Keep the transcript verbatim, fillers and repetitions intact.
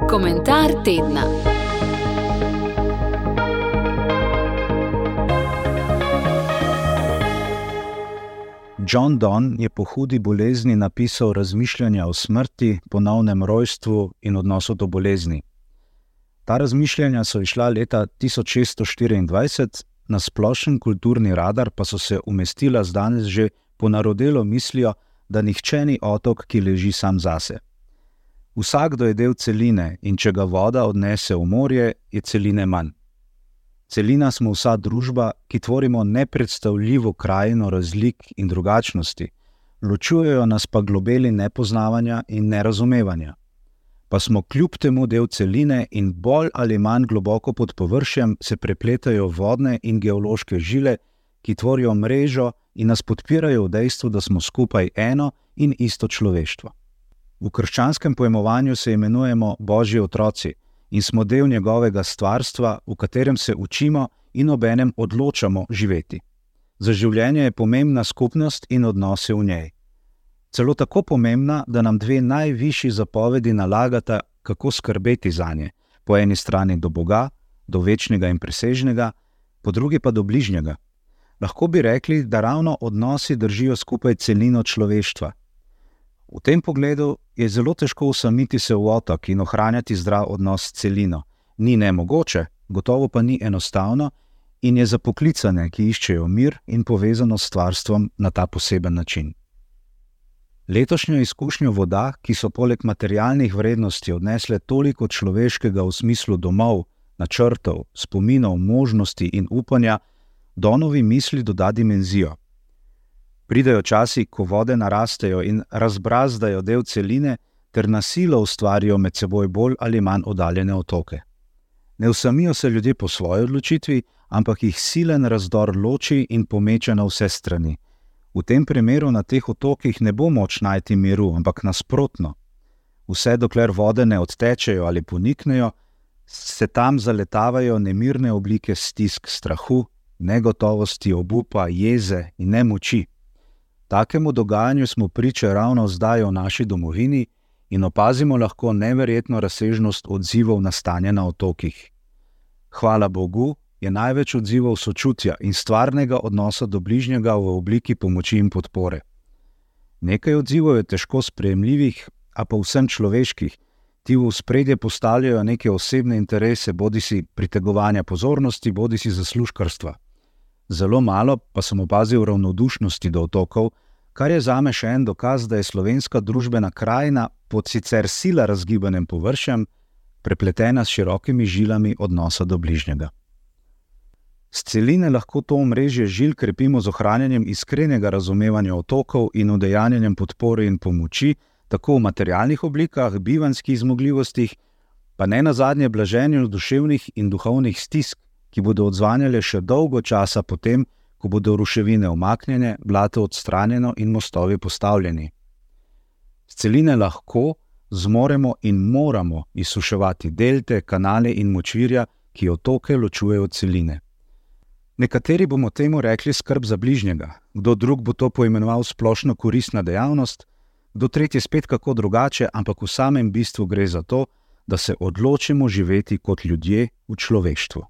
Komentar tedna. John Donne je po hudi bolezni napisal razmišljanja o smrti, ponovnem rojstvu in odnosu do bolezni. Ta razmišljanja so izšla leta tisoč šeststo štiriindvajset, na splošen kulturni radar pa so se umestila z danes že ponarodelo mislijo, da nihče ni otok, ki leži sam zase. Vsakdo je del celine in če ga voda odnese v morje, je celine manj. Celina smo vsa družba, ki tvorimo nepredstavljivo krajino razlik in drugačnosti, ločujejo nas pa globeli nepoznavanja in nerazumevanja. Pa smo kljub temu del celine in bolj ali manj globoko pod površjem se prepletajo vodne in geološke žile, ki tvorijo mrežo in nas podpirajo v dejstvu, da smo skupaj eno in isto človeštvo. V krščanskem pojmovanju se imenujemo Božji otroci in smo del njegovega stvarstva, v katerem se učimo in obenem odločamo živeti. Za življenje je pomembna skupnost in odnose v njej. Celo tako pomembna, da nam dve najvišji zapovedi nalagata, kako skrbeti zanje, po eni strani do Boga, do večnega in presežnega, po drugi pa do bližnjega. Lahko bi rekli, da ravno odnosi držijo skupaj celino človeštva. V tem pogledu je zelo težko usamiti se v otok in ohranjati zdrav odnos s celino. Ni nemogoče, gotovo pa ni enostavno in je za poklicane, ki iščejo mir in povezano s stvarstvom na ta poseben način. Letošnjo izkušnjo voda, ki so poleg materialnih vrednosti odnesle toliko človeškega v smislu domov, načrtov, spominov, možnosti in upanja, Donovi misli doda dimenzijo. Pridejo časi, ko vode narastejo in razbrazdajo del celine ter na silo ustvarijo med seboj bolj ali manj oddaljene otoke. Ne usamijo se ljudje po svoji odločitvi, ampak jih silen razdor loči in pomeče na vse strani. V tem primeru na teh otokih ne bo moč najti miru, ampak nasprotno. Vse dokler vode ne odtečejo ali poniknejo, se tam zaletavajo nemirne oblike stisk, strahu, negotovosti, obupa, jeze in nemoči. Takemu dogajanju smo priče ravno zdaj v naši domovini in opazimo lahko neverjetno razsežnost odzivov na stanje na otokih. Hvala Bogu, je največ odzivov sočutja in stvarnega odnosa do bližnjega v obliki pomoči in podpore. Nekaj odzivov je težko sprejemljivih, a pa vsem človeških. Ti v ospredje postavljajo neke osebne interese, bodisi pritegovanja pozornosti, bodisi zaslužkarstva. Zelo malo pa sem opazil ravnodušnosti do otokov, kar je zame še en dokaz, da je slovenska družbena krajina pod sicer sila razgibanem površjem prepletena s širokimi žilami odnosa do bližnjega. S celine lahko to omrežje žil krepimo z ohranjanjem iskrenega razumevanja otokov in udejanjanjem podpore in pomoči, tako v materialnih oblikah, bivanjskih zmogljivostih, pa ne nazadnje blaženju duševnih in duhovnih stisk, ki bodo odzvanjale še dolgo časa potem, ko bodo ruševine umaknjene, blato odstranjeno in mostovi postavljeni. S celine lahko, zmoremo in moramo izsuševati delte, kanale in močvirja, ki otoke ločujejo od celine. Nekateri bomo temu rekli skrb za bližnjega, kdo drug bo to poimenoval splošno koristna dejavnost, kdo tretji spet kako drugače, ampak v samem bistvu gre za to, da se odločimo živeti kot ljudje v človeštvu.